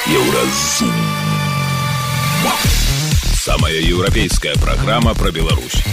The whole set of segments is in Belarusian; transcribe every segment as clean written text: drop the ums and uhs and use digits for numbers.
Еўразум. Самая еўрапейская праграма пра Беларусь.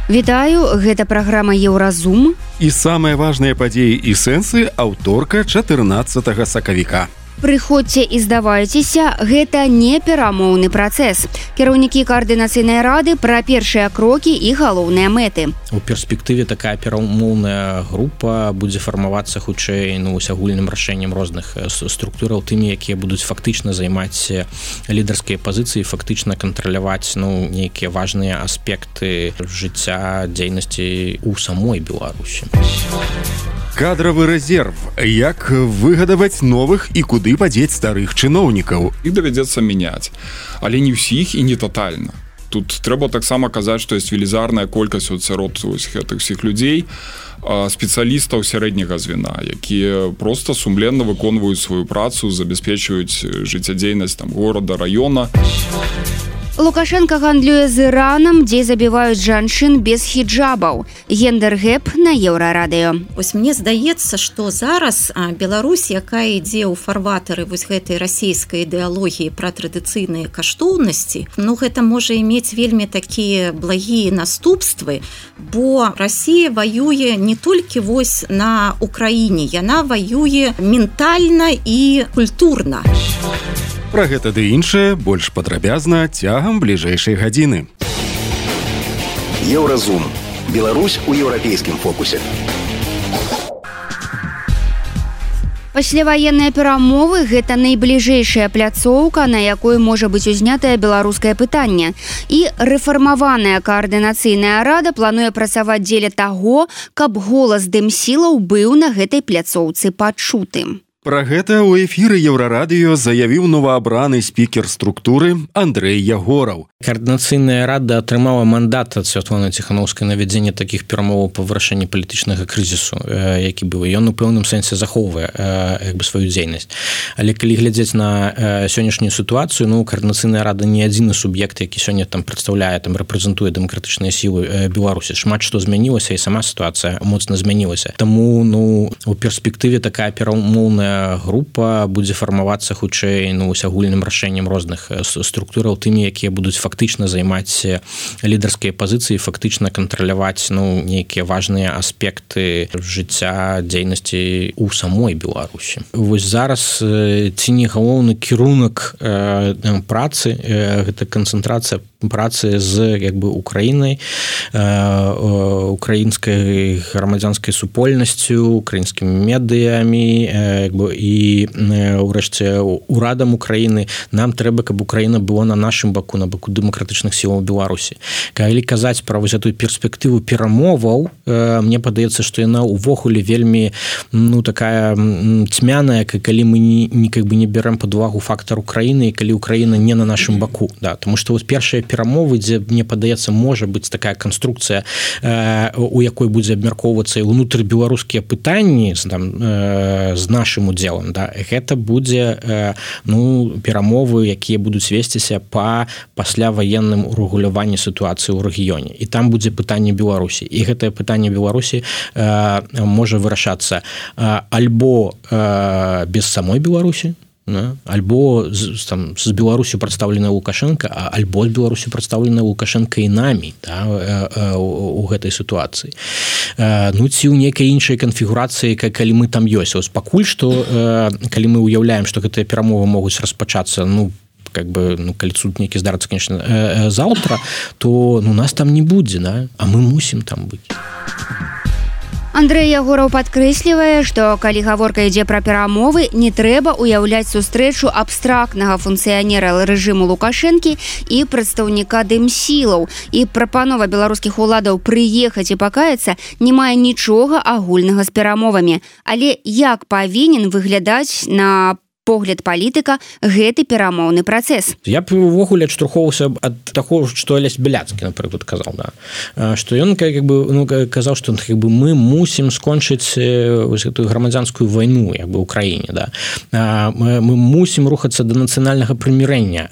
Вітаю, гэта праграма Еўразум. І самыя важныя падзеі і сэнсы аўторка 14 сакавіка. Прыходзьце і здавайцеся, гэта не перамоўны працэс. Кіраўнікі каардынацыйнай рады пра першыя крокі і галоўныя мэты. У перспектыве такая перамоўная група будзе фармавацца хутчэй агульным рашэннем розных структураў, тымі, якія будуць фактычна займаць лідарскія пазіцыі, фактычна кантраляваць нейкія важныя аспекты жыцця, дзейнасці ў самой Беларусі. Кадравы рэзерв. Як выгадаваць новых і куды падзець старых чыноўнікаў? Іх давядзецца мяняць, але не ўсіх і не татальна. Тут трэба таксама казаць, што ёсць велізарная колькасць сярод гэтых всіх людзей, спецыялістаў сярэдняга звена, якія проста сумленна выконваюць сваю працу, забяспечваюць жыццядзейнасць горада, раёна. Лукашенко гандлюе з Іранам, дзе забіваюць жанчын без хіджабаў. Гендер-гэп на Еўрарадыё. Вось мне здаецца, што зараз Беларусь, якая ідзе ў фарватары гэтай расійскай ідэалогіі пра традыцыйныя каштоўнасці, гэта можа мець вельмі такія благія наступствы, бо Расія ваюе не толькі на Украіне, яна ваюе ментальна і культурна. Пра гэта ды іншае больш падрабязна цягам бліжэйшай гадзіны. Еўразум. Беларусь у еўрапейскім фокусе. Пасляваенныя перамовы – гэта найбліжэйшая пляцоўка, на якой можа быць узнятае беларускае пытанне. І рэфармаваная каардынацыйная рада плануе працаваць дзеля таго, каб голас дэмсілаў быў на гэтай пляцоўцы пачутым. Пра гэта ў эфіры Еўрарадыё заявіў новаабраны спікер структуры Андрэй Ягораў. Каардынацыйная рада атрымала мандат ад Святланы Ціханаўскай на вядзенне такіх перамоваў па вырашэнні палітычнага крызісу, які быў. Ён у пэўным сэнсе захоўвае сваю дзейнасць. Але калі глядзець на сённяшнюю сітуацыю, каардынацыйная рада не адзіны суб'ект, які сёння прадстаўляе, рэпрэзентуе дэмакратычныя сілы Беларусі. Шмат што змянілася, і сама сітуацыя моцна змянілася. Таму у перспектыве такая перамоўная група будзе фармавацца хутчэй агульным рашэннем розных структураў, тымі, якія будуць фактычна займаць лідарскія пазіцыі, фактычна кантраляваць нейкія важныя аспекты жыцця, дзейнасці ў самой Беларусі. Вось зараз ці не галоўны кірунак працы, гэта канцэнтрацыя працы з Украінай, украінскай грамадзянскай супольнасцю, украінскімі медыямі і ўрэшце урадам Украіны. Нам трэба, каб Украіна была на нашым баку, на баку дэмакратычных сілаў Беларусі. Калі казаць пра гэтую перспектыву перамоваў, мне падаецца, што яна ўвогуле вельмі такая цьмяная, калі мы не бярэм пад увагу фактар Украіны, і калі Украіна не на нашым баку. Таму што першыя перамовы, дзе, мне падаецца, можа быць такая канструкцыя, у якой будзе абмяркоўвацца і ўнутрыбеларускія пытанні з нашым удзелам. Гэта будзе перамовы, якія будуць весціся па пасляваенным урэгуляванні сітуацыі ў рэгіёне. І там будзе пытанне Беларусі. І гэтае пытанне Беларусі можа вырашацца альбо без самой Беларусі, альбо з Беларусю прадстаўленая Лукашенко, альбо з Беларусю прадстаўленая Лукашенко і намі у гэтай сітуацыі. Ці ў нейкай іншай канфігурацыі, калі мы там ёсць. Пакуль што, калі мы ўяўляем, што гэтыя перамовы могуць распачацца, калі суд нейкі здарыцца, конечно, заўтра, то нас там не будзе, а мы мусім там быць. Андрэй Ягораў падкрэслівае, што калі гаворка ідзе пра перамовы, не трэба ўяўляць сустрэчу абстрактнага функцыянера рэжыму Лукашэнкі і прадстаўніка дэмсілаў. І прапанова беларускіх уладаў прыехаць і пакаяцца не мае нічога агульнага з перамовамі. Але як павінен выглядаць на погляд палітыка гэты перамоўны працэс? Я б увогуле адштурхоўваўся ад таго, што Алесь Бяляцкі, напрыклад, казаў, што ён казаў, што мы мусім скончыць гэтую грамадзянскую вайну ў краіне. Мы мусім рухацца да нацыянальнага прымірэння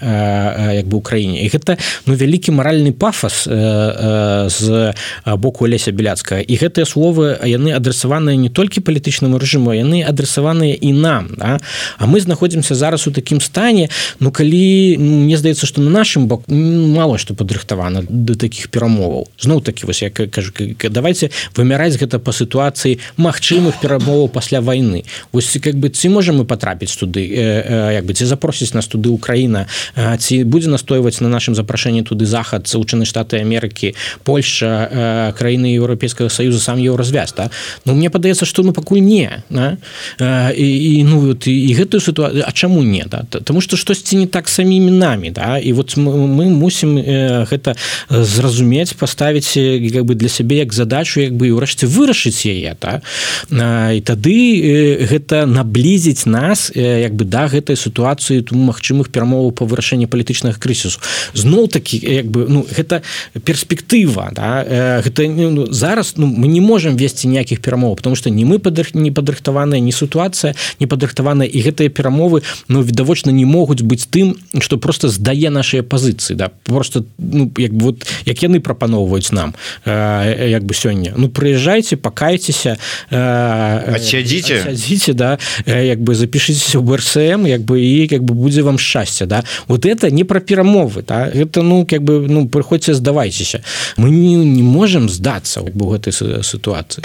ў краіне. І гэта вялікі маральны пафас з боку Алеся Бяляцкага. І гэтыя словы, яны адресаваныя не толькі палітычнаму рэжыму, яны адресаваныя і нам. А мы знаходзімся зараз у такім стане, ну калі мне здаецца, што на нашым баку мало што падрыхтавана да такіх перамоваў. Зноў такі вось я кажу, давайте вымяраць гэта па сітуацыі магчымых перамоваў пасля вайны. Вось как бы ці можам мы патрапіць туды, як бы ці запросіць нас туды Украіна, ці будзе настойваць на нашым запрашэнні туды Захад, Соединенные Штаты Америки, Польша, краіны Еўрапейскага Саюза, сам Еўразвяз, да? Ну мне падаецца, што ну пакуль не, да? І гэтую сітуацыю, а чаму не, да? Таму што штосьці не так самімі намі, да? І вот мы мусім гэта зразумець, паставіць как бы для сябе як задачу, як бы ўрэшце вырашыць яе, да? І тады гэта наблізіць нас як бы да гэтай сітуацыі магчымых перамоваў па вырашэнні палітычнага крызісу. Зноў такі як бы ну гэта перспектыва, да? Гэта ну, зараз ну, мы не можам весці ніякіх перамоваў, потому што ні мы не падрыхтаваная, ні сітуацыя не падрыхтаваная, і гэтыя перамовы ну відавочна не могуць быць тым, што просто здае нашыя пазіцыі, да? Просто ну як бы вот як яны прапаноўваюць нам як бы сёння. Ну прыязджайце, пакайцеся, адсядзіце, да, як бы запішыцеся ў БРСМ, як бы і як бы будзе вам шчасце, да. Вот это не пра перамовы, да. Гэта ну як бы ну прыходзьце, здавайцеся. Мы не можам здацца як бы ў гэтай сітуацыі.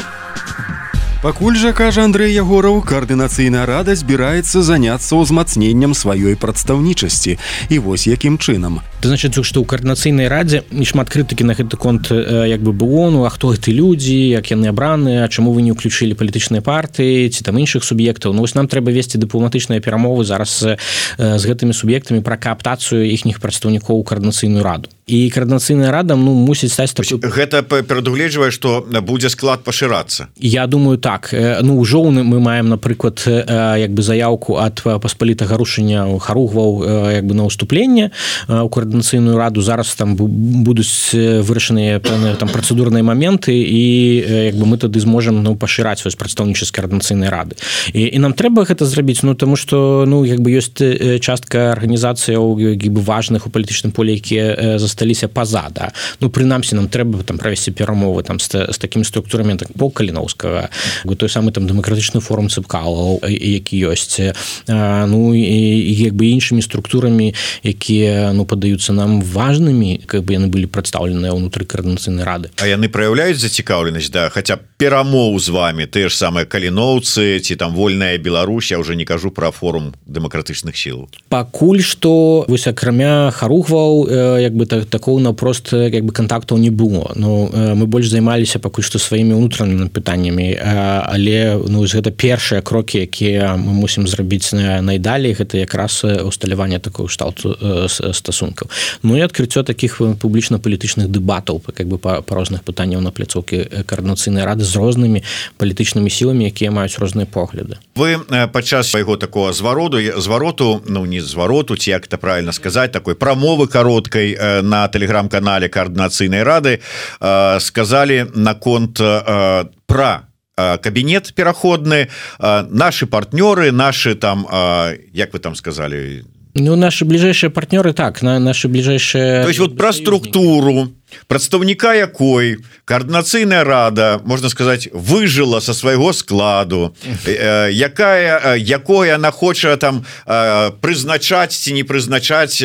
Пакуль жа, кажа Андрэй Ягораў, каардынацыйная рада збіраецца заняцца ўзмацненнем сваёй прадстаўнічасці. І вось якім чынам. Значит, што ў каардынацыйнай радзе не шмат крытыкі на гэты конт як бы было, ну а хто гэты людзі, як яны абраныя, чаму вы не ўключылі палітычныя партыі ці там іншых суб'ектаў. Ну вось нам трэба весці дыпламатычныя перамовы зараз з гэтымі суб'ектамі пра кааптацыю іхніх прадстаўнікоў у каардынацыйную раду. І каардынацыйная рада ну мусіць стаць такой... Гэта прадугледжвае, што будзе склад пашырацца. Я думаю, так. Ну ўжо мы маем, напрыклад, як бы заяўку ад паспалітага рушання Харугваў як бы на ўступленне у каардынацыйную раду. Зараз там будуць вырашаныя пэўныя там працэдурныя моменты, і як бы мы тады зможам ну пашыраць вось прадстаўнічасць каардынацыйнай рады. І нам трэба гэта зрабіць, ну таму што ну як бы ёсць частка арганізацыяў як бы важных у палітычным полі, якія засталіся па-за, да. Ну прынамсі нам трэба там правесці перамовы там з такімі структурамі, так Пол Каліноўскага, той самы там дэмакратычны форум ЦПКАЛ, які ёсць, ну і як бы іншымі структурамі, якія ну падаюцца нам важнымі, как бы яны былі прадстаўленыя ўнутры каардынацыйнай рады. А яны праяўляюць зацікаўленасць, да, хаця перамоў з вами, тыя ж самыя каліноўцы ці там вольная Беларусь, я ўжо не кажу пра форум дэмакратычных сіл. Пакуль што вось акрамя Харугваў як бы такого наўпрост як бы кантактаў не было. Ну мы больш займаліся пакуль што сваімі ўнутранымі пытаннямі, але ну гэта першыя крокі, якія мы мусім зрабіць найдалей, гэта якраз усталяванне такого шталту стасункаў. Ну і адкрыццё такіх публічна-палітычных дэбатаў как бы па розных пытанняў на пляцоўкі каардынацыйнай рады з рознымі палітычнымі сіламі, якія маюць розныя погляды. Вы падчас свайго такого звароту, ну не звароту, ці як это правильно сказаць, такой прамовы кароткай на тэлеграм-канале каардынацыйнай рады сказалі наконт пра кабінет пераходны, наши партнёры, наши там, як вы там сказали? Ну, наши ближайшие партнеры, так, наши ближайшие... То есть вот про структуру, прадстаўніка якой каардынацыйная рада, можна сказаць, выжыла са свайго складу, якое она хоча там прызначаць ці не прызначаць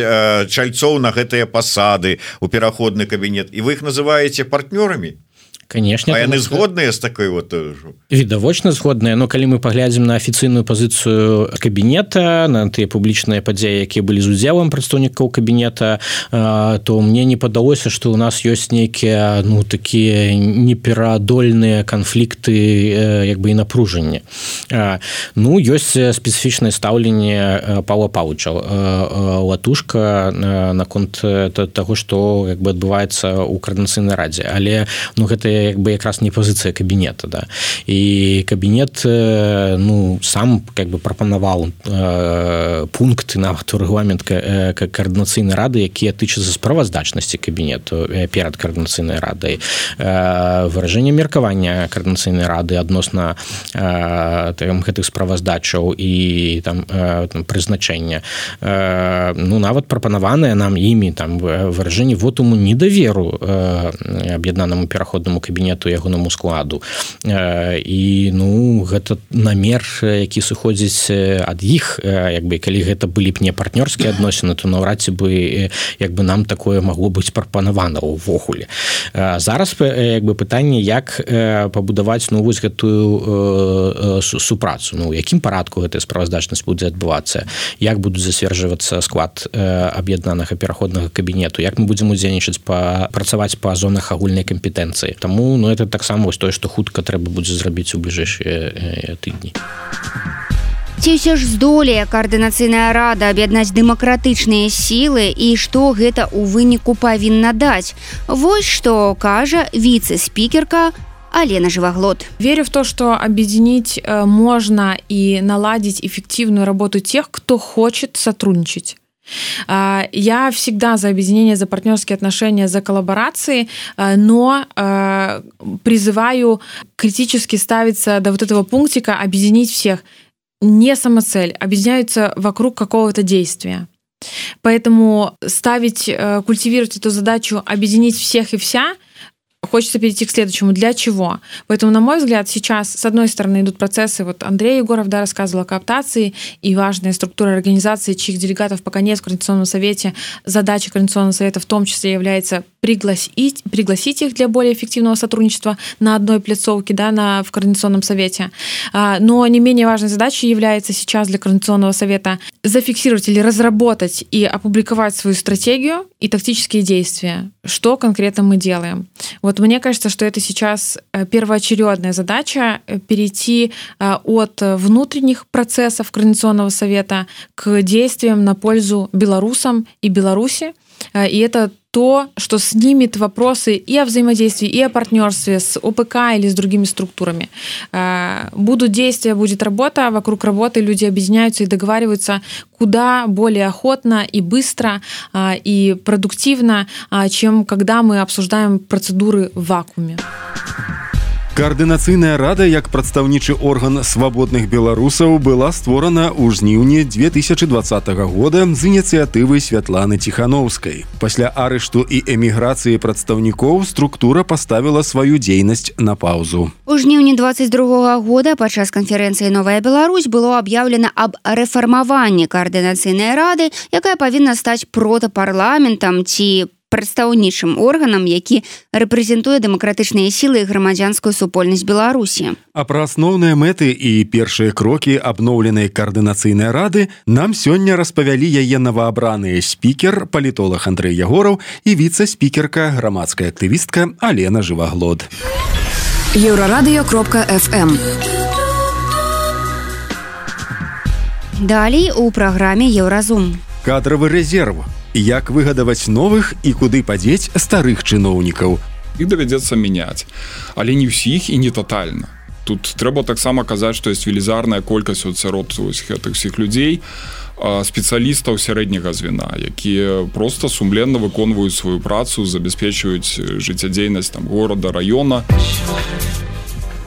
чальцоў на гэтыя пасады у пераходны кабінет, і вы іх называеце партнёрамі? Конечно. А яны згодныя з такой вот... Відавочна згодныя, но калі мы паглядзім на афіцыйную пазіцыю кабінета, на тыя публічныя падзеі, якія былі з удзелам прадстаўнікоў кабінета, то мне не падалося, што ў нас ёсць нейкія ну такія непераадольныя канфлікты як бы і напружанне. Ну ёсць спецыфічнае стаўленне Паўла Паўлыча Латушка наконт таго, што як бы адбываецца ў каардынацыйнай радзе, але ну гэта як бы якраз не пазіцыя кабінета, да. І кабінет ну сам как бы прапанаваў пункты нават у рэгламент каардынацыйнай рады, якія тычацца справаздачнасці кабінету перад каардынацыйнай радай, выражэнне меркавання каардынацыйнай рады адносна гэтых справаздачаў і там прызначэння. Ну нават прапанаванае нам імі там выражэнне вотуму недаверу аб'яднанаму пераходнаму кабінету ягонаму складу і гэта намер, які сыходзіць ад іх, калі гэта былі б не партнёрскія адносіны, то наўрад ці бы нам такое магло быць прапанавана ўвогуле. Зараз пытанне, як пабудаваць вось гэтую супрацу, у якім парадку гэтая справаздачнасць будзе адбывацца, як будуць зацверджвацца склад аб'яднанага пераходнага кабінету, як мы будзем удзельнічаць працаваць па зонах агульнай кампетэнцыі. Таму это таксама тое, што хутка трэба будзе зрабіць у бліжэйшыя тыдні. Ці ўсё ж здолее каардынацыйная рада аб'яднаць дэмакратычныя сілы і што гэта ў выніку павінна даць? Вось што кажа віцэ-спікерка Алена Живоглот. Верю в то, что объединить можно и наладить эффективную работу тех, кто хочет сотрудничать. Я всегда за объединение, за партнерские отношения, за коллаборации, но призываю критически ставиться до вот этого пунктика объединить всех. Не самоцель, объединяются вокруг какого-то действия. Поэтому культивировать эту задачу объединить всех и вся, хочется перейти к следующему. Для чего? Поэтому, на мой взгляд, сейчас, с одной стороны, идут процессы, Андрей Егоров рассказывал о кооптации, и важная структура организации, чьих делегатов пока нет в Координационном совете. Задача Координационного совета в том числе является пригласить их для более эффективного сотрудничества на одной пляцовке, в Координационном совете. Но не менее важной задачей является сейчас для Координационного совета зафиксировать или разработать и опубликовать свою стратегию и тактические действия. Что конкретно мы делаем? Мне кажется, что это сейчас первоочередная задача перейти от внутренних процессов Координационного совета к действиям на пользу белорусам и Беларуси. И это то, что снимет вопросы и о взаимодействии, и о партнерстве с ОПК или с другими структурами. Будут действия, будет работа, вокруг работы люди объединяются и договариваются куда более охотно и быстро, и продуктивно, чем когда мы обсуждаем процедуры в вакууме. Координацыйная рада, як прадстаўнічы орган свабодных беларусаў, была створана ў жніўні 2020 года з ініцыятывы Святланы Ціхановскай. Пасля арышту і эміграцыі прадстаўнікоў структура паставіла сваю дзейнасць на паўзу. У жніўні 2022 года падчас канферэнцыі «Новая Беларусь» было аб'яўлена аб рэфармаванні координацыйнай рады, якая павінна стаць протапарламентам ці прадстаўнічым органам, які рэпрэзентуе дэмакратычныя сілы і грамадзянскую супольнасць Беларусі. А пра асноўныя мэты і першыя крокі абноўленай координацыйнай рады нам сёння распавялі яе новаабраныя спікер, палітолог Андрэй Ягораў і віцэ-спікерка, грамадская актывістка Алена Живоглот. Еўрарадыё.фм. Далей у праграме Еўразум. Кадравы рэзерв. Як выгадаваць новых і куды падзець старых чыноўнікаў. Іх давядзецца мяняць, але не ўсіх і не татальна. Тут трэба таксама казаць, што ёсць велізарная колькасць сярод гэтых всіх людзей, спецыялістаў сярэдняга звена, якія проста сумленна выконваюць сваю працу, забяспечваюць жыццядзейнасць горада, раёна.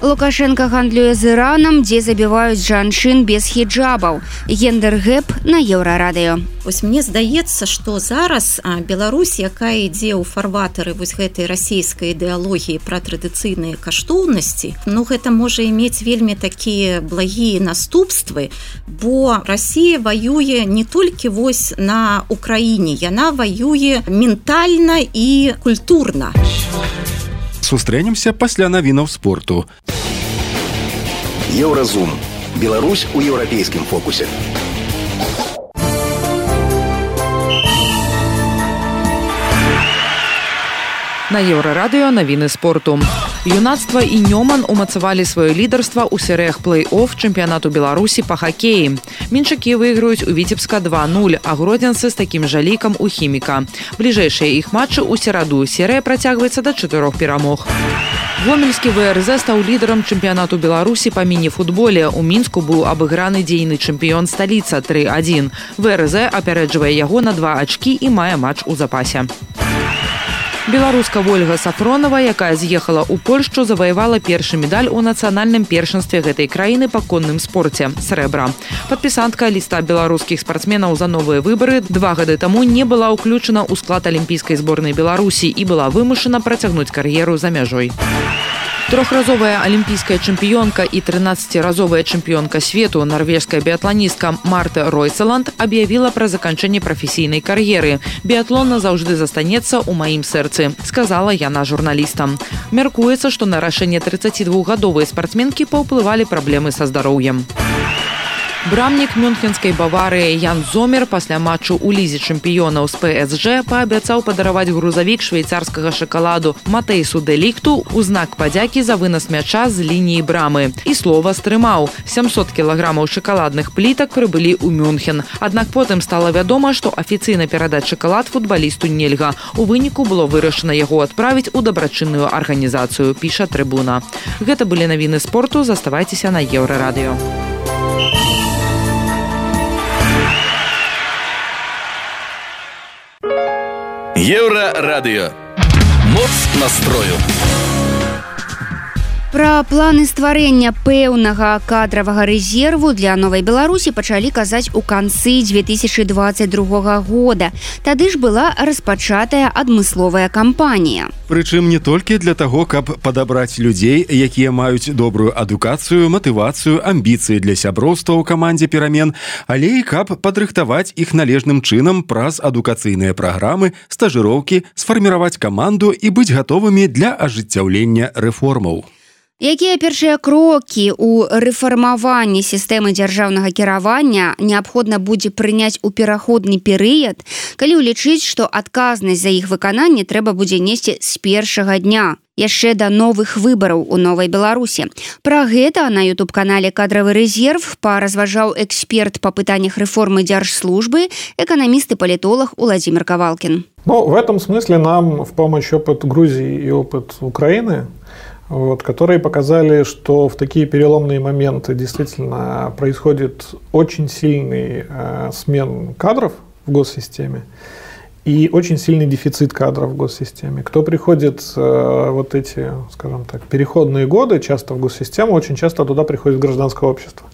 Лукашенко гандлюе з Іранам, дзе забіваюць жанчын без хіджабаў. Гендер-гэп на Еўрарадыё. Мне здаецца, што зараз Беларусь, якая ідзе ў фарватары гэтай расійскай ідэалогіі пра традыцыйныя каштоўнасці, гэта можа мець вельмі такія благія наступствы, бо Расія ваюе не толькі на Украіне, яна ваюе ментальна і культурна. Сустрэнемся пасля навінаў спорту. Еўразум. Беларусь у еўрапейскім фокусе. На Еўрарадыё навіны спорту. Юнацтва і Нёман умацавалі сваё лідарства ў серыях плэй-офф чэмпіянату Беларусі па хакеі. Мінчакі выйграюць у Віцебска 2-0, а гродзенцы з такім жа лікам у Хіміка. Бліжэйшыя іх матчы ў сераду. Серыя працягваецца да 4 перамог. Гомельскі ВРЗ стаў лідарам чэмпіянату Беларусі па міні-футболе. У Мінску быў абыграны дзейны чэмпіён сталіца 3-1. ВРЗ апярэджвае яго на 2 ачкі і мае матч у запасе. Беларуска Ольга Сафронова, якая з'ехала ў Польшчу, заваявала першы медаль у нацыянальным першынстве гэтай краіны па конным спорце – срэбра. Падпісантка ліста беларускіх спартсменаў за новыя выбары 2 гады таму не была ўключана ў склад алімпійскай зборнай Беларусі і была вымушана працягнуць кар'еру за мяжой. Трохразовая алімпійская чэмпіёнка і 13-разовая чэмпіёнка свету нарвежская біятланістка Марта Ройцеланд аб'явіла пра заканчэнне прафесійнай кар'еры. Біятлон назаўжды застанецца ў маім сэрцы, сказала яна журналістам. Мяркуецца, што на рашэнне 32-гадовай спартсменкі паўплывалі праблемы са здароўем. Брамнік мюнхенскай Баварыі Ян Зомер пасля матчу ў лізе чэмпіёнаў з ПСЖ паабяцаў падараваць грузавік швейцарскага шакаладу Матэйсу де Ліхту ў знак падзякі за вынас мяча з лініі брамы. І слова стрымаў. 700 кілаграмаў шакаладных плітак прыбылі ў Мюнхен. Аднак потым стала вядома, што афіцыйна перадаць шакалад футбалісту нельга. У выніку было вырашана яго адправіць у дабрачынную арганізацыю, піша Трыбуна. Гэта былі навіны спорту. Заставайцеся на Еўрарадыё. Еўрарадыё. Моц настрою. Пра планы стварэння пэўнага кадравага рэзерву для Новай Беларусі пачалі казаць у канцы 2022 года. Тады ж была распачатая адмысловая кампанія. Прычым не толькі для таго, каб падабраць людзей, якія маюць добрую адукацыю, матывацыю, амбіцыі для сяброўства ў камандзе перамен, але і каб падрыхтаваць іх належным чынам праз адукацыйныя праграмы, стажыроўкі, сфарміраваць каманду і быць гатовымі для ажыццяўлення рэформаў. Якія першыя крокі ў рэфармаванні сістэмы дзяржаўнага кіравання неабходна будзе прыняць у пераходны перыяд, калі ўлічыць, што адказнасць за іх выкананне трэба будзе несці з першага дня, яшчэ да новых выбараў у Новай Беларусі. Пра гэта на YouTube-канале «Кадравы рэзерв» паразважаў эксперт па пытаннях рэформы дзяржслужбы, эканаміст и политолог Владимир Ковалкин. В этом смысле нам в помощь опыт Грузии и опыт Украины, которые показали, что в такие переломные моменты действительно происходит очень сильный смен кадров в госсистеме и очень сильный дефицит кадров в госсистеме. Кто приходит вот эти, скажем так, переходные годы часто в госсистему, очень часто туда приходит гражданское общество.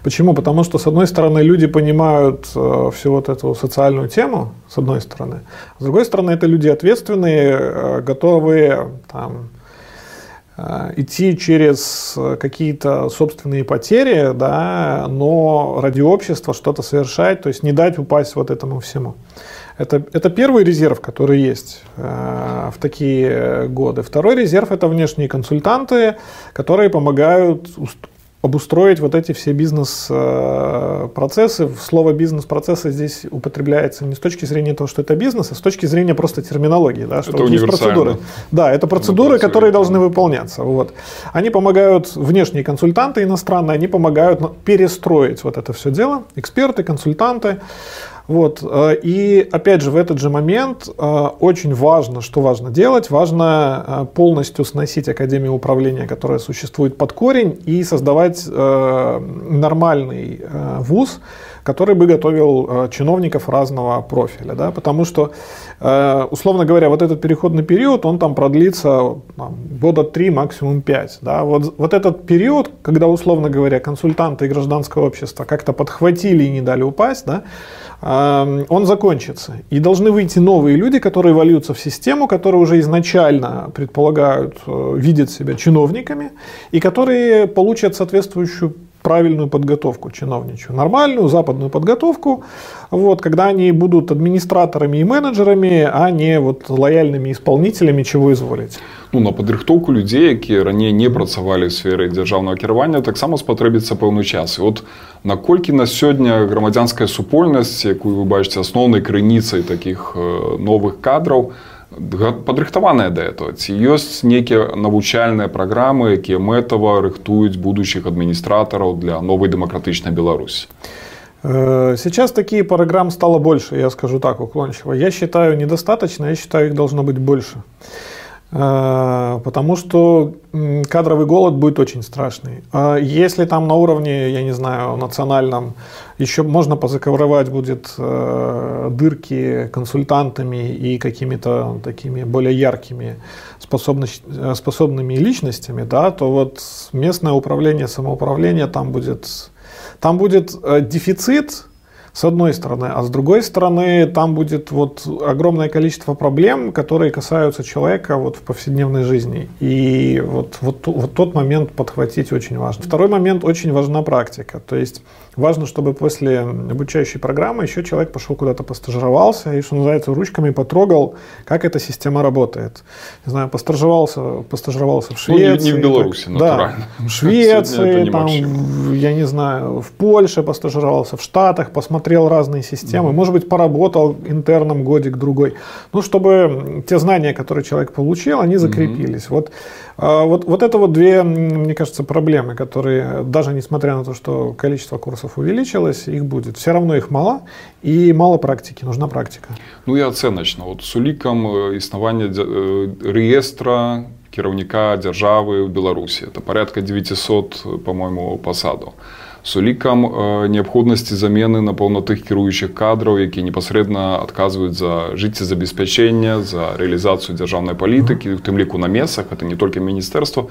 Почему? Потому что, с одной стороны, люди понимают всю вот эту социальную тему, с одной стороны. С другой стороны, это люди ответственные, готовые там идти через какие-то собственные потери, да, но ради общества что-то совершать, то есть не дать упасть вот этому всему. Это первый резерв, который есть в такие годы. Второй резерв – это внешние консультанты, которые помогают обустроить вот эти все бизнес-процессы. Слово «бизнес-процессы» здесь употребляется не с точки зрения того, что это бизнес, а с точки зрения просто терминологии. Да, что это вот есть процедуры. Да, это процедуры, которые должны выполняться. Вот. Они помогают, внешние консультанты иностранные, они помогают перестроить вот это все дело. Эксперты, консультанты. Вот. И опять же в этот же момент очень важно, что важно делать, важно полностью сносить Академию управления, которая существует под корень, и создавать нормальный вуз, который бы готовил чиновников разного профиля. Да? Потому что, условно говоря, вот этот переходный период, он там продлится года 3, максимум 5. Да? Вот этот период, когда, условно говоря, консультанты и гражданское общество как-то подхватили и не дали упасть, да, он закончится. И должны выйти новые люди, которые вольются в систему, которые уже изначально предполагают, видят себя чиновниками, и которые получат соответствующую правильную подготовку чиновничью, нормальную западную подготовку, вот, когда они будут администраторами и менеджерами, а не вот лояльными исполнителями, чего изволите. На падрыхтоўку людзей, якія раней не працавалі ў сферы дзяржаўнага кіравання, таксама спатрэбіцца пэўны час. І наколькі на сёння грамадзянская супольнасць, якую вы бачыце асноўнай крыніцай такіх новых кадраў, падрыхтаваная да этого? Ці ёсць нейкія навучальныя праграмы, якія мэтава рыхтуюць будучых адміністратараў для новой дэмакратычнай Беларусі? Сейчас такие программ стало больше, я скажу так уклончиво. Я считаю недостаточно, я считаю их должно быть больше. Потому что кадровый голод будет очень страшный. Если там на уровне, я не знаю, национальном еще можно позакрывать будет дырки консультантами и какими-то такими более яркими способными личностями, да, то вот местное управление, самоуправление, там будет дефицит, с одной стороны, а с другой стороны, там будет вот огромное количество проблем, которые касаются человека вот в повседневной жизни. И вот тот момент подхватить очень важно. Второй момент, очень важна практика. То есть важно, чтобы после обучающей программы еще человек пошел куда-то постажировался и, что называется, ручками потрогал, как эта система работает. Не знаю, постажировался в Швеции. Не в Беларуси, натурально. Да, в Швеции, там, я не знаю, в Польше постажировался, в Штатах, посмотрел разные системы, может быть, поработал интерном годик-другой. Ну, чтобы те знания, которые человек получил, они закрепились. Вот это вот две, мне кажется, проблемы, которые, даже несмотря на то, что количество курсов увеличилось, их будет. Все равно их мало, и мало практики, нужна практика. Ну и оценочно. Вот с улікам існування реєстра кіраўніка дзяржавы ў Беларусі. Это порядка 900, по-моему, посадаў. С улікам неабходнасці замены напэўна тых кіруючых кадраў, якія непасрэдна адказваюць за жыццезабеспячэнне, за рэалізацыю дзяржаўнай палітыкі, у тым ліку на месцах, это не толькі міністэрства.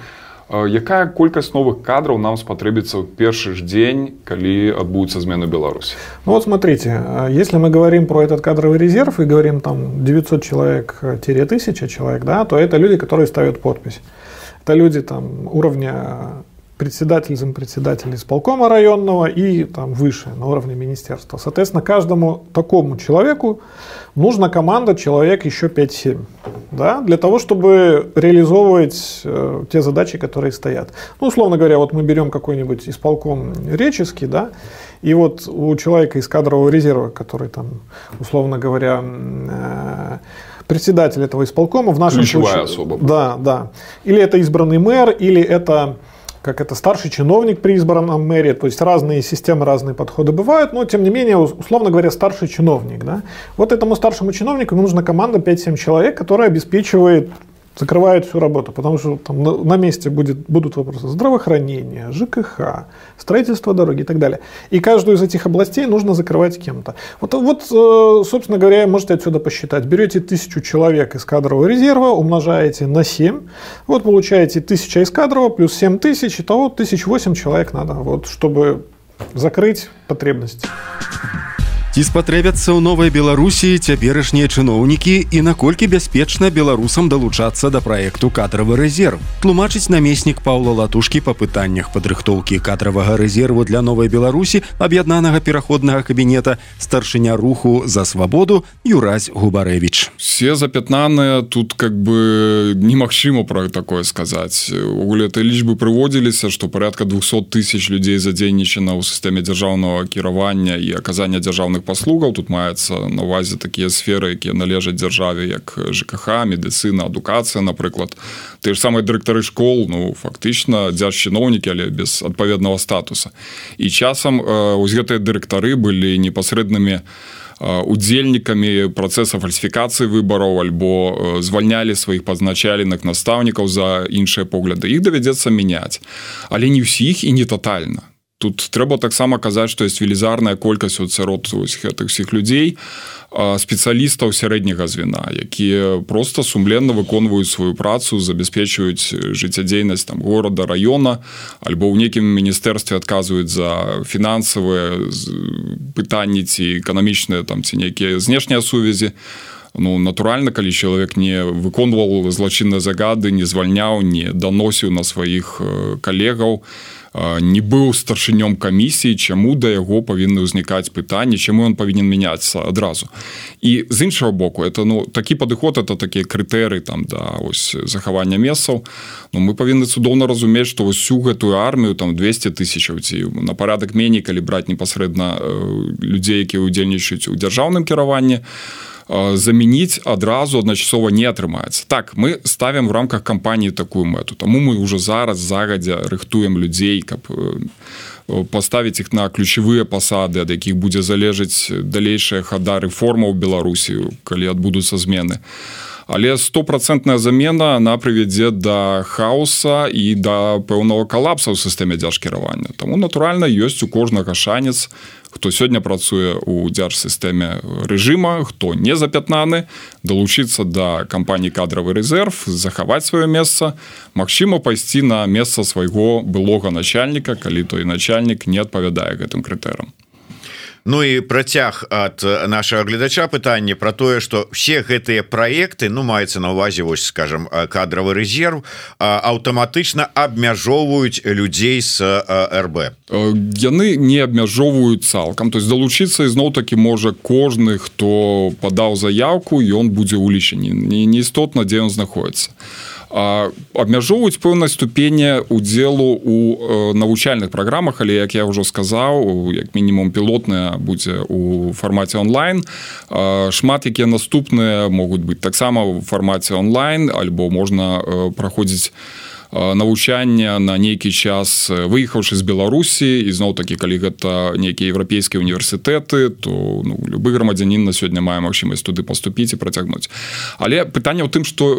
Якая колькасць новых кадраў нам спатрэбіцца ў першы ж дзень, калі адбудуцца змены Беларусі? Ну вот смотрите, если мы говорим про этот кадровый резерв и говорим там 900 человек-1000 человек, да, то это люди, которые ставят подпись. Это люди там уровня зампредседатель исполкома районного и там выше, на уровне министерства. Соответственно, каждому такому человеку нужна команда человек еще 5-7, да, для того, чтобы реализовывать те задачи, которые стоят. Ну, условно говоря, вот мы берем какой-нибудь исполком реческий, да, и вот у человека из кадрового резерва, который там, условно говоря, председатель этого исполкома, в нашем ключевая случае... особа. Да. Или это избранный мэр, или это... как это старший чиновник при избранном мэре, то есть разные системы, разные подходы бывают, но тем не менее, условно говоря, старший чиновник. Да? Вот этому старшему чиновнику нужна команда 5-7 человек, которая обеспечивает, закрывает всю работу, потому что там на месте будут вопросы здравоохранения, ЖКХ, строительство дороги и так далее. И каждую из этих областей нужно закрывать кем-то. Вот, собственно говоря, можете отсюда посчитать. Берете 1000 человек из кадрового резерва, умножаете на 7, вот получаете 1000 из кадрового плюс 7000, итого 1008 человек надо, вот, чтобы закрыть потребность. Ці спатрэбяцца ў новай Беларусі цяперашнія чыноўнікі і наколькі бяспечна беларусам далучацца да праекту кадравы рэзерв. Тлумачыць намеснік Паўла Латушкі па пытаннях падрыхтоўкі кадравага рэзерву для новай Беларусі аб'яднанага пераходнага кабінета старшыня руху за свабоду Юрась Губарэвіч. Все запятнаныя, тут как бы немагчыма пра такое сказаць. Угуле этой лічбы прыводзіліся, што порядка 200 000 людзей задзейнічана ў сістэме дзяржаўнага кіравання і аказання дзяржаўных паслугаў. Тут маецца на ўвазе такія сферы, якія належаць дзяржаве, як ЖКХ, медыцына, адукацыя, напрыклад. Ты ж самыя дырэктары школ, ну, фактычна дзяржчыноўнікі, але без адпаведнага статуса. І часам вось гэтыя дырэктары былі непасрэднымі удзельнікамі працэса фальсіфікацыі выбараў альбо звальнялі сваіх пазначаленых настаўнікаў за іншыя погляды. Іх давядзецца мяняць. Але не ўсіх і не татальна. Тут трэба таксама казаць, што ёсць велізарная колькасць сярод гэтых усіх людзей, спецыялістаў сярэдняга звена, якія проста сумленна выконваюць сваю працу, забяспечваюць жыццядзейнасць там горада, раёна, альбо ў нейкім міністэрстве адказваюць за фінансавыя пытанні ці эканамічныя там ці нейкія знешнія сувязі. Ну, натуральна, калі чалавек не выконваў злачынныя загады, не звальняў, не даносіў на сваіх калегаў, не быў старшынём камісіі, чаму да яго павінны ўзнікаць пытанні, чаму ён павінен мяняцца адразу. І з іншага боку, это, ну, такі падыход, это такія крытэрыі там да ось захавання месцаў. Ну, мы павінны цудоўна разумець, што ўсю гэтую армію там 200 000 ці на парадак меней, калі браць непасрэдна людзей, якія ўдзельнічаюць у дзяржаўным кіраванні, замяніць адразу адначасова не атрымаецца. Так, мы ставім в рамках кампаніі такую мэту. Таму мы ўжо зараз загадзя рыхтуем людзей, каб паставіць іх на ключавыя пасады, ад якіх будзе залежаць далейшая хада рэформа ў Беларусі, калі адбудуцца змены. Але 100% замена она прывядзе да хаоса і да пэўнага калапса ў сістэме дзяржкіравання. Таму натуральна ёсць у кожнага шанец, хто сёння працуе ў дзяржсістэме рэжыма, хто не запятнаны, далучыцца да кампаніі кадравы рэзерв, захаваць сваё месца, магчыма пайсці на месца свайго былога начальніка, калі той начальнік не адпавядае гэтым крытэрам. Ну і працяг ад нашага гледача пытанне пра тое, што все гэтыя праекты, ну маецца на ўвазе, вось скажем, кадравы рэзерв, аўтаматычна абмяжоўваюць людзей з РБ. Яны не абмяжоўваюць цалкам, то есть далучыцца ізноў-такі можа кожны, хто падаў заяўку, ён будзе ўлічаны, не істотна, дзе ён знаходіцца. Абмяжоўваюць пэўнай ступені удзелу у навучальных праграмах, але, як я ўжо сказаў, як мінімум пілотная будзе у фармаце онлайн. Шмат якія наступныя могуць быць таксама ў фармаце онлайн, альбо можна праходзіць навучання на нейкі час, выехаўшы з Беларусі, і зноў-такі, калі гэта нейкія еўрапейскія універсітэты, то любы грамадзянін на сёння мае магчымасць туды паступіць і працягнуць. Але пытанне ў тым, што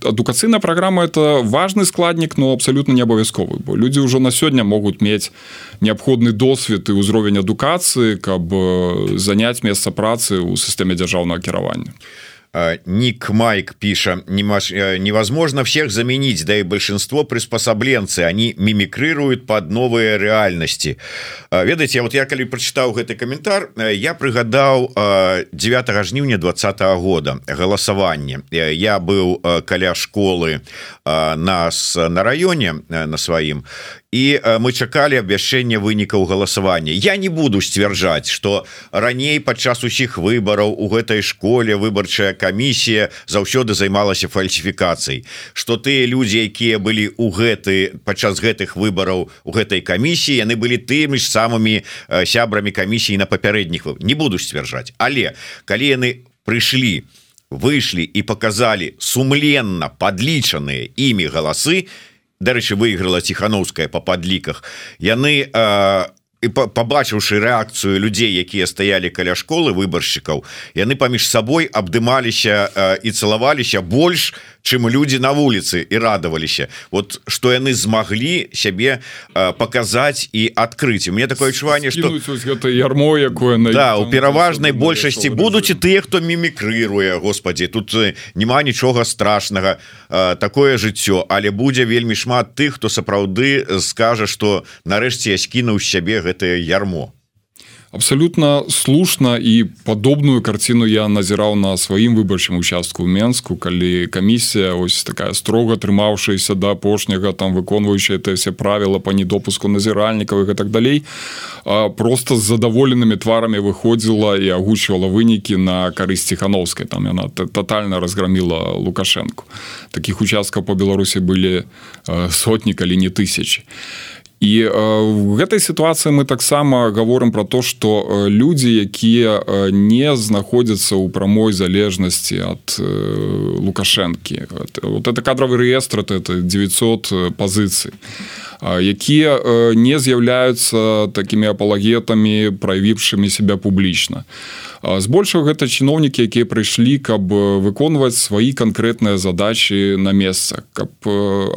адукацыйная праграма – это важны складнік, но абсалютна не абавязковы, бо людзі ўжо на сёння могуць мець неабходны досвед і ўзровень адукацыі, каб заняць месца працы ў сістэме дзяржаўнага кіравання. Ник Майк пишет: невозможно всех заменить, да и большинство приспособленцы, они мимикрируют под новые реальности. Ведаеце, вот я калі прочитал гэты комментар, я прыгадаў 9 жніўня 2020 года голосование. Я был каля школы нас на районе на сваім, и мы чакалі абвяшчэння вынікаў галасавання. Я не буду сцвярджаць, што раней падчас усіх выбараў у гэтай школе выбарчая камісія заўсёды займалася фальсіфікацыяй, што тыя людзі, якія былі падчас гэтых выбараў у гэтай камісіі, яны былі тымі ж самымі сябрамі камісіі на папярэдніх выбарах. Не буду сцвярджаць, але калі яны прыйшлі, выйшлі і паказалі сумленна падлічаныя імі галасы, дарэчы, выйграла Ціханаўская па падліках, яны, пабачыўшы рэакцыю людзей, якія стаялі каля школы выбаршчыкаў, яны паміж сабой абдымаліся і цалаваліся больш, чым людзі на вуліцы, і радаваліся. Вот што яны змаглі сябе паказаць і адкрыць. У мяне такое адчуванне, што гэта ярмо, якое у пераважнай большасці будуць і тыя, хто мімікрыруе, господі, тут няма нічога страшнага, такое жыццё, але будзе вельмі шмат тых, хто сапраўды скажа, што нарэшце я скінуў з сябе гэтае ярмо. Абсолютно слушна, і падобную карціну я назіраў на сваім выбарчым участку ў Менску, калі камісія, ось такая строга трымаўшаяся да апошняга, там выконваючая все правила по недопуску назіральнікаў і так далей, просто з задаволенымі тварамі выходзіла і агучвала вынікі на карысць Ціханаўскай. Там яна тотальна разгромила Лукашенко. Такіх участкаў по Беларусі былі сотні, калі не тысячи. І в гэтай сітуацыі мы таксама гаворым пра то, што людзі, якія не знаходзяцца ў прамой залежнасці ад Лукашэнкі. Вот это кадравы рэестр, это 900 пазіцый, якія не з'яўляюцца такімі апалагетамі, праявіўшымі себя публічна. Збольшага гэта чыноўнікі, якія прыйшлі, каб выконваць свае канкрэтныя задачы на месцах, каб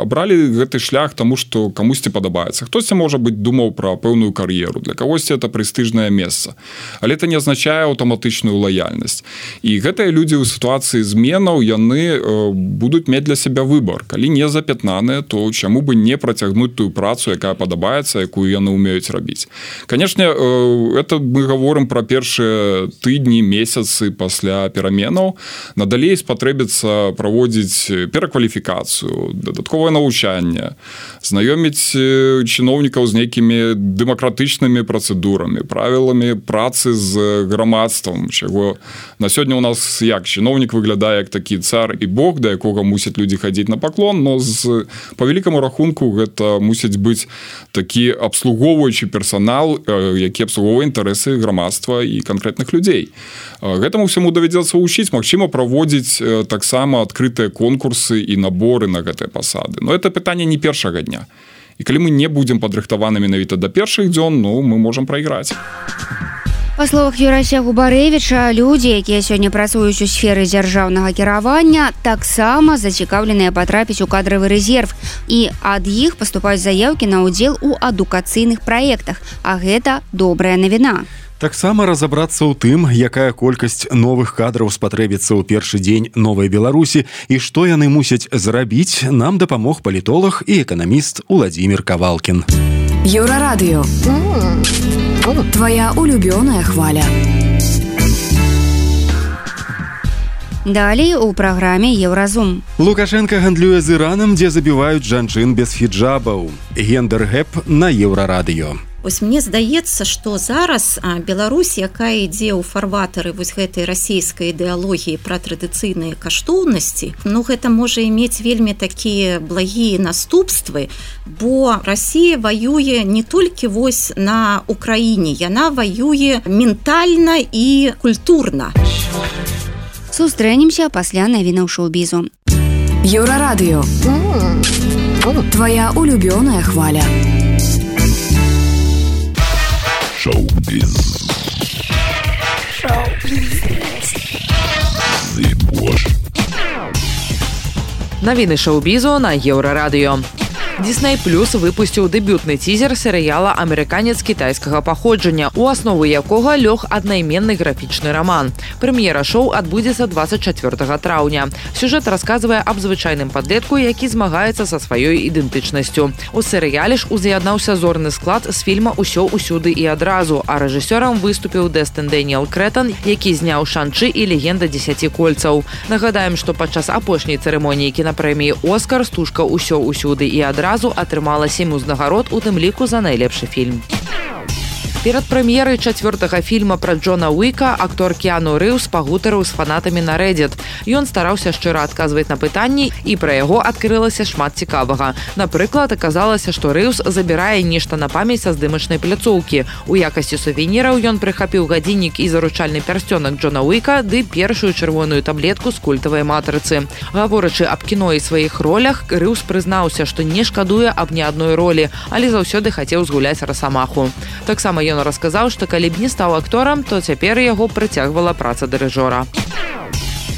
абралі гэты шлях таму, што камусьці падабаецца. Хтосьці, можа быць, думаў пра пэўную кар'еру, для кагосьці это прэстыжнае месца. Але это не азначае аўтаматычную лаяльнасць. І гэтыя людзі ў сітуацыі зменаў, яны будуць мець для сябе выбар. Калі не запятнаныя, то чаму бы не працягнуць тую працу, якая падабаецца, якую яны ўмеюць рабіць. Канешне, это мы гаворым пра першыя тыдні, месяцы пасля пераменаў. Надалей спатрэбіцца праводзіць перакваліфікацыю, дадатковае навучанне, знаёміць чыноўнікаў з нейкімі дэмакратычнымі працэдурамі, правіламі працы з грамадствам, чаго на сёння у нас як чыноўнік выглядае як такі цар і бог, да якога мусяць людзі хадзіць на паклон, но по великаму рахунку гэта мусіць быць такі абслугоўваючы персанал, які абслугоўвае інтарэсы грамадства і канкрэтных людзей. Гэтаму всему давядзецца вучыць, магчыма, праводзіць таксама адкрытыя конкурсы і наборы на гэтыя пасады. Но это пытанне не першага дня. І калі мы не будзем падрыхтаваны менавіта да першых дзён, мы можам прайграць. Па словах Юрася Губарэвіча, людзі, якія сёння працуюць у сферы дзяржаўнага кіравання, таксама зацікаўленыя патрапіць у кадравы рэзерв, і ад іх паступаюць заяўкі на ўдзел у адукацыйных праектах, а гэта добрая навіна. Таксама разабрацца ў тым, якая колькасць новых кадраў спатрэбіцца ў першы дзень новай Беларусі і што яны мусяць зрабіць, нам дапамог палітолог і эканаміст Уладзімір Кавалкін. Еўрарадыё. Твоя улюбёная хваля. Далей у праграме Еўразум. Лукашенко гандлюе з Іранам, дзе забіваюць жанчын без хіджабаў. Гендер-гэп на Еўрарадыё. Вось мне здаецца, што зараз Беларусь, якая ідзе ў фарватары вось гэтай расійскай ідэалогіі пра традыцыйныя каштоўнасці, гэта можа мець вельмі такія благія наступствы, бо Расія ваюе не толькі вось на Украіне, яна ваюе ментальна і культурна. Сустрэнемся пасля навінаў шоу-бізу. Еўрарадыё. Твоя улюбёная хваля. Шоу-біз. Навіны шоу-бізу на Еўрарадыё. Disney Plus выпусціў дэбютны цізер серыяла «Амерыканец кітайскага паходжання», у аснову якога лёг аднайменны графічны раман. Прэм'ера шоу адбудзецца 24 траўня. Сюжэт расказвае аб звычайным падлетку, які змагаецца са сваёй ідэнтычнасцю. У серыяле ж уз'яднаўся зорны склад з фільма «Усё, усюды і адразу», а рэжысёрам выступіў Дэстын Дэніэл Крэтан, які зняў «Шан-Чы» і «Легенда 10 кольцаў». Нагадаем, што падчас апошняй цырымоніі кінапрэміі «Оскар» стужка «Усё, усюды і адразу» атрымала 7 узнагарод, у тым ліку за найлепшы фільм. Перад прэм'ерай 4-го фільма пра Джона Уіка актор Кіану Рыўс пагутарыў з фанатамі на Reddit. Ён стараўся шчыра адказваць на пытанні, і пра яго адкрылася шмат цікавага. Напрыклад, аказалася, што Рыўс забірае нешта на памяць са здымачнай пляцоўкі. У якасці сувеніраў ён прыхапіў гадзіннік і заручальны пярсцёнак Джона Уіка ды першую чырвоную таблетку з культавай матрыцы. Гаворачы аб кіно і сваіх ролях, Рыўс прызнаўся, што не шкадуе аб ні адной ролі, але заўсёды хацеў згуляць Расамаху. Таксама ён расказаў, што калі б не стаў акторам, то цяпер яго прыцягвала праца дырыжора.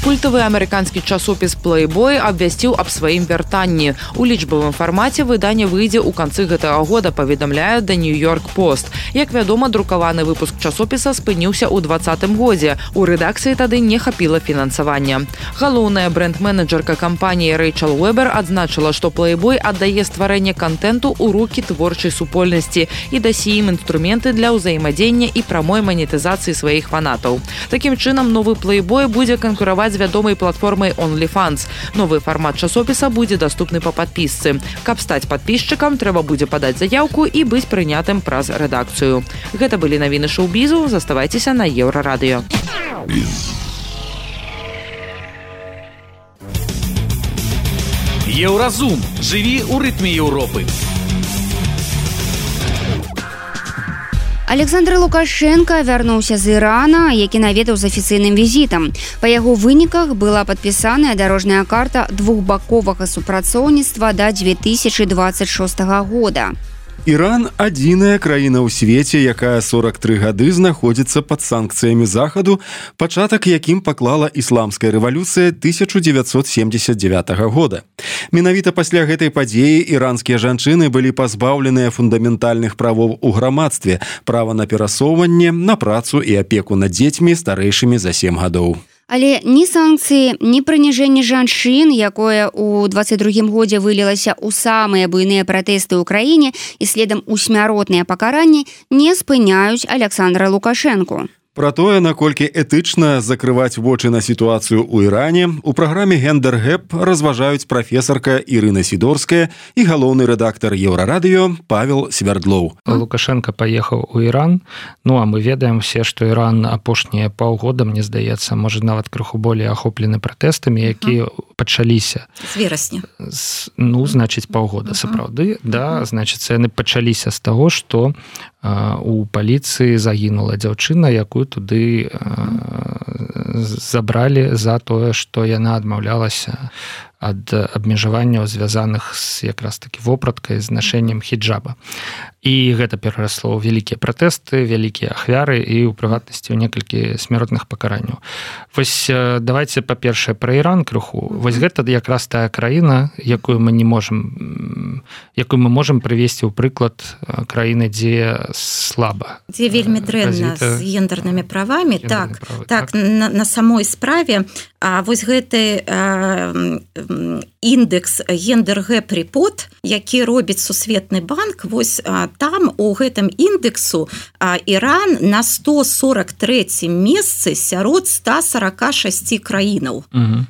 Культавы амерыканскі часопіс Playboy абвясціў аб сваім вяртанні. У лічбавым фармаце выданне выйдзе ў канцы гэтага года, паведамляе The New York Post. Як вядома, друкаваны выпуск часопіса спыніўся ў 2020 годзе. У рэдакцыі тады не хапіла фінансавання. Галоўная брэнд-менеджерка кампаніі Рэйчел Уэбер адзначыла, што Playboy аддае стварэнне кантэнту ў рукі творчай супольнасці і дасі ім інструменты для ўзаемадзення і прамой манетызацыі сваіх фанатаў. Такім чынам, новы Playboy будзе канкураваць з вядомай платформай OnlyFans. Новы фармат часопіса будзе даступны па падпісцы. Каб стаць падпісчыкам, трэба будзе падаць заяўку і быць прынятым праз рэдакцыю. Гэта былі навіны шоу-бізу. Заставайцеся на Еўрарадыё. Еўразум. Жыві ў рытме Еўропы. Александр Лукашенко вярнуўся з Ірана, які наведаў з афіцыйным візітам. Па яго выніках была падпісаная дарожная карта двухбаковага супрацоўніцтва да 2026 года. Іран – адзіная краіна ў свеце, якая 43 гады знаходзіцца пад санкцыямі Захаду, пачатак якім паклала ісламская рэвалюцыя 1979 года. Менавіта пасля гэтай падзеі іранскія жанчыны былі пазбаўленыя фундаментальных правоў у грамадстве, права на перасоўванне, на працу і апеку над дзецьмі старэйшымі за 7 гадоў. Але ні санкцыі, ні прыніжэнне жанчын, якое ў 22 годзе вылілася ў самыя буйныя пратэсты ў краіне і следам у смяротныя пакаранні, не спыняюць Александра Лукашэнку. Пра тое, наколькі этычна закрываць вочы на сітуацыю ў Іране, у праграме «Гендер-гэп» разважаюць прафесарка Ірына Сідорская і галоўны рэдактар Еўрарадыё Павел Свярдлоў. Лукашенко паехаў у Іран, а мы ведаем все, што Іран апошнія паўгода, мне здаецца, можа нават крыху болей ахоплены пратэстамі, якія пачаліся. З верасня. Значыць, паўгода, сапраўды. Да, значыць, яны пачаліся з таго, што у паліцыі загінула дзяўчына, якую туды забралі за тое, што яна адмаўлялася ад абмежаванняў, звязаных з якраз такі вопраткай, з нашэннем хіджаба. І гэта перарасло ў вялікія пратэсты, вялікія ахвяры і ў прыватнасці ў некалькі смяротных пакаранняў. Вось давайте па-першае пра Іран крыху. Вось гэта якраз тая краіна, якую мы можам прывесці ў прыклад краіны, дзе слаба. Дзе вельмі дрэнна з гендернымі правамі. Так, на самой справе вось гэты індекс гендер-гэп рэпорт, які робіць Сусветны банк, вось там у гэтым індексу Іран на 143 месцы сярод 146 краінаў.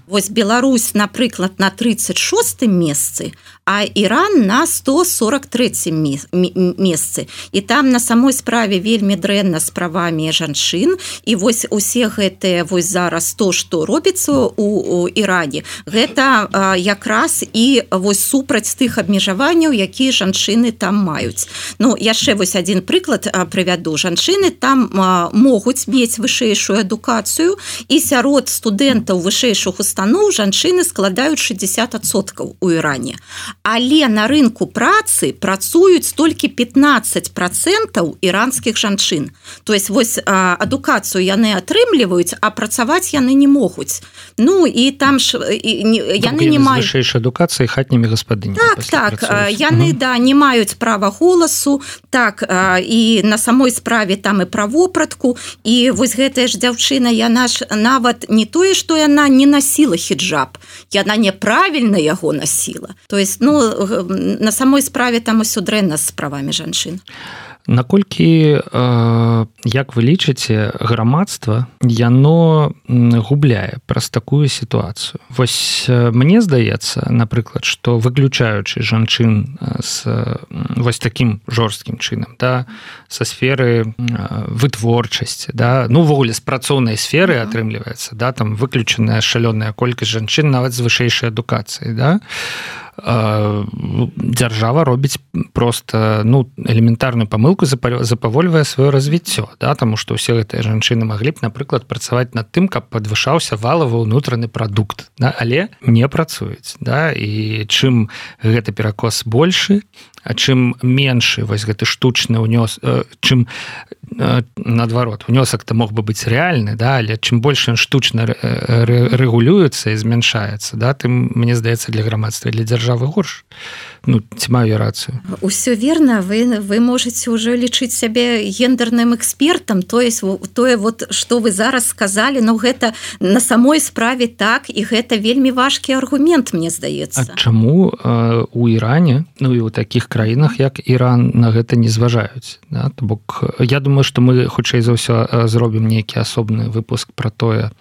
Вось Беларусь, напрыклад, на 36 месцы, а Іран на 143 месцы. І там на самой справе вельмі дрэнна з правамі жанчын. І вось усе гэтыя вось зараз то, што робіцца у Іране, гэта якраз і вось супраць тых абмежаванняў, якія жанчыны там маюць. Ну, яшчэ вось адзін прыклад прывяду. Жанчыны там могуць мець вышэйшую адукацыю, і сярод студэнтаў вышэйшых устаноў жанчыны складаюць 60% у Іране. Але на рынку працы працуюць толькі 15% іранскіх жанчын. То есть вось адукацыю яны атрымліваюць, а працаваць яны не могуць. Ну, і там ж яны не маюць вышэйшай адукацыі хатнімі гаспадынями. Так, яны не маюць права голасу, так, і на самой справе там і пра вопратку, і вось гэтая ж дзяўчына, яна ж нават не тое, што яна не насіла хіджаб, яна няправільна яго насіла. То есть, ну, на самой справе там усё дрэнна з правамі жанчын. Наколькі, як вы лічыце, грамадства, яно губляе праз такую сітуацыю? Вось мне здаецца, напрыклад, што выключаючы жанчын з вось такім жорсткім чынам, да, са сферы вытворчасці, да, ну, увогуле, з працоўнай сферы атрымліваецца, да, там выключаная шалёная колькасць жанчын нават з вышэйшай адукацыяй, да, дзяржава робіць просто, ну, элементарную памылку, запавольвае сваё развіццё, да, таму што ўсе гэтыя жанчыны маглі б, напрыклад, працаваць над тым, каб падвышаўся валавы ўнутраны прадукт, да, але не працуюць, да, і чым гэты перакос большы, а чым меншы вось гэты штучны ўнёс, чым наадварот, унёсак-то мог бы быць рэальны, да, але чым больш ён штучна рэгулюецца і змяншаецца, да, тым, мне здаецца, для грамадства і для дзяржавы горш. Ну, ці маю рацыю? Усё верна, вы можаце ўжо лічыць сябе гендерным экспертам, тое, вот, што вы зараз сказалі, ну, гэта на самой справе так, і гэта вельмі важкі аргумент, мне здаецца. А чаму у Іране, ну, і ў такіх краінах, як Іран, на гэта не зважаюць? Да? То бок, я думаю, што мы, хутчэй за ўсё, зробім нейкі асобны выпуск пра тое,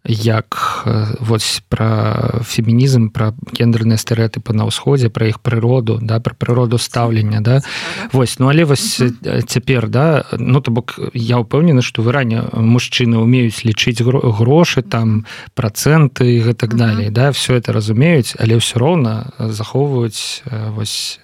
як вось пра фемінізм, пра гендерныя стэрэатыпы на ўсходзе, пра іх прыроду, да, пра прыроду стаўлення, да. Вось, ну, але вось цяпер, да, ну, то бок, я ўпэўнены, што в Іране мужчыны умеюць лічыць грошы, там, працэнты і гэтак далей, да, все это разумеюць, але ўсё роўна захоўваюць вось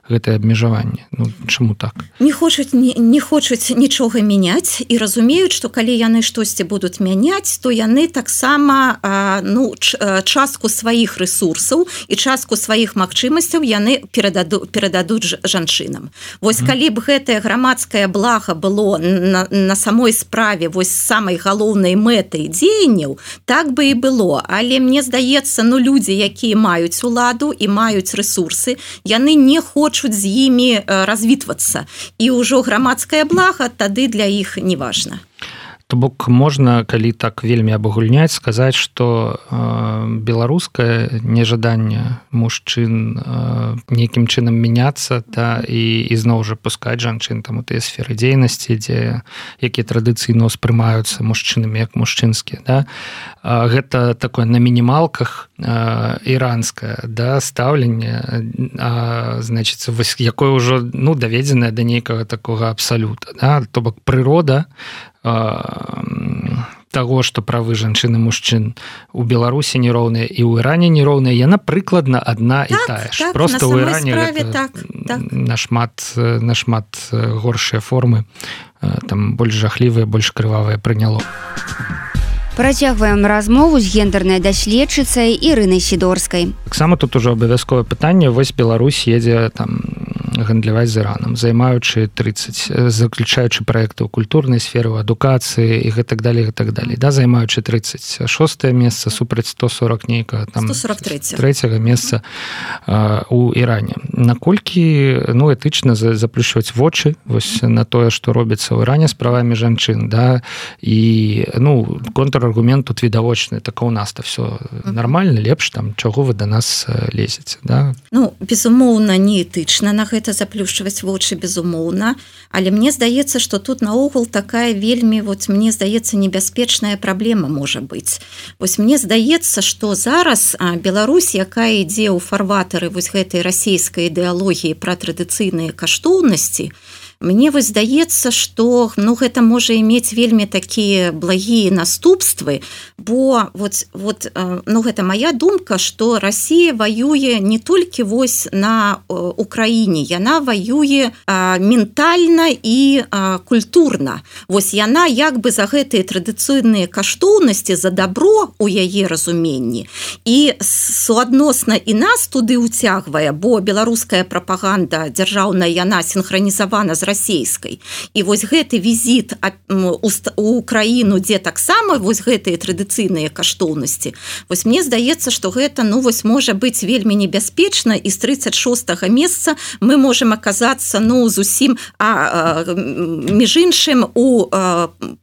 гэтае абмежаванне. Ну, чаму так? Не хочуць нічога мяняць і разумеюць, што калі яны штосьці будуць мяняць, то яны таксама, ну, частку сваіх ресурсаў і частку сваіх магчымасцяў яны перададуць жанчынам. Вось калі б гэтае грамадскае блага было на самой справе вось самай галоўнай мэтай дзеянняў, так бы і было. Але мне здаецца, ну, людзі, якія маюць уладу і маюць ресурсы, яны не хочуць з імі развітвацца. І ўжо грамадскае блага тады для іх не важна. То бок можна, калі так вельмі абагульняць, сказаць, што беларускае нежаданне мужчын нейкім чынам мяняцца, да, і зноў жа пускаць жанчын там у тыя сферы дзейнасці, якія традыцыйна ўспрымаюцца мужчынамі як мужчынскія, да. Гэта такое на мінімалках іранскае, да, стаўленне, значыцца, якое ўжо, ну, даведзенае да нейкага такога абсалюта, да. То бок прырода таго, што правы жанчын і мужчын у Беларусі нероўныя і ў Іране нероўныя, яна прыкладна адна і тая ж. Просто ў Іране гэта нашмат горшыя формы, там больш жахлівыя, больш крывавыя прыняло. Працягваем размову з гендернай даследчыцай Ірынай Сідорскай. Таксама тут ужо абавязковае пытанне. Вось Беларусь едзе там гандляваць з Іранам, займаючы 30, заключаючы праекты ў культурнай сферы, ў адукацыі і гэтак далей, да, займаючы 36 месца супраць 140 нейкага там 143 месца у Іране. Наколькі этычна заплюшваць вочы вось на тое, што робіцца ў Іране з правамі жанчын, да, і контраргумент тут відавочны, так у нас-то все нормально, лепш там, чаго вы да нас лезеце, да? Безумоўна, не этычна на гэта заплюшчваць вочы, безумоўна, але мне здаецца, што тут наогул такая вельмі, мне здаецца, небяспечная праблема можа быць. Вось мне здаецца, што зараз Беларусь, якая ідзе ў фарватары вось гэтай расійскай ідэалогіі пра традыцыйныя каштоўнасці, мне вось здаецца, што гэта можа мець вельмі такія благія наступствы, бо гэта моя думка, што Расія ваюе не толькі вось на Украіне, яна ваюе ментальна і культурна. Вось яна як бы за гэтыя традыцыйныя каштоўнасці, за дабро у яе разуменні і суадносна і нас туды ўцягвае, бо беларуская прапаганда дзяржаўная, яна синхронізавана з расійскай. І вось гэты візіт у краіну, дзе таксама вось гэтыя традыцыйныя каштоўнасці. Вось мне здаецца, што гэта можа быць вельмі небяспечна, і з 36-го месца мы можам аказацца зусім між іншым у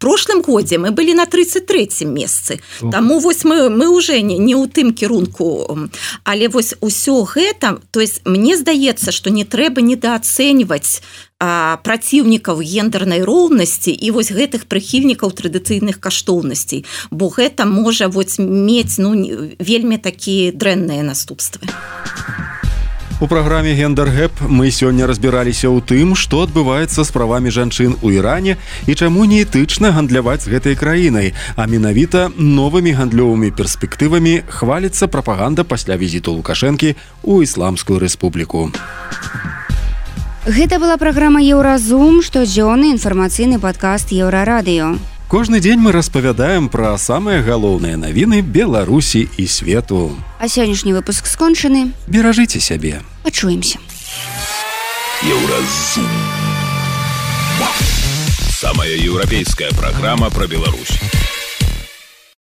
прошлым годзе мы былі на 33-м месцы. Таму вось мы уже не ў тым кірунку. Але вось усё гэта, то есть мне здаецца, што не трэба недаацэньваць праціўнікаў гендернай роўнасці і вось гэтых прыхільнікаў традыцыйных каштоўнасцей, бо гэта можа мець вельмі такія дрэнныя наступствы. У праграме «Гендер-гэп» мы сёння разбіраліся ў тым, што адбываецца з правамі жанчын у Іране і чаму не этычна гандляваць з гэтай краінай, а менавіта новымі гандлёвымі перспектывамі хваліцца прапаганда пасля візіту Лукашэнкі ў Ісламскую рэспубліку. Гэта была праграма «Еўразум», штодзённы інфармацыйны падкаст «Еўрарадыё». Кожны дзень мы распавядаем пра самыя галоўныя навіны Беларусі і свету. А сённяшні выпуск скончаны. Беражыце сябе. Пачуемся. Еўразум. Самая еўрапейская праграма пра Беларусь.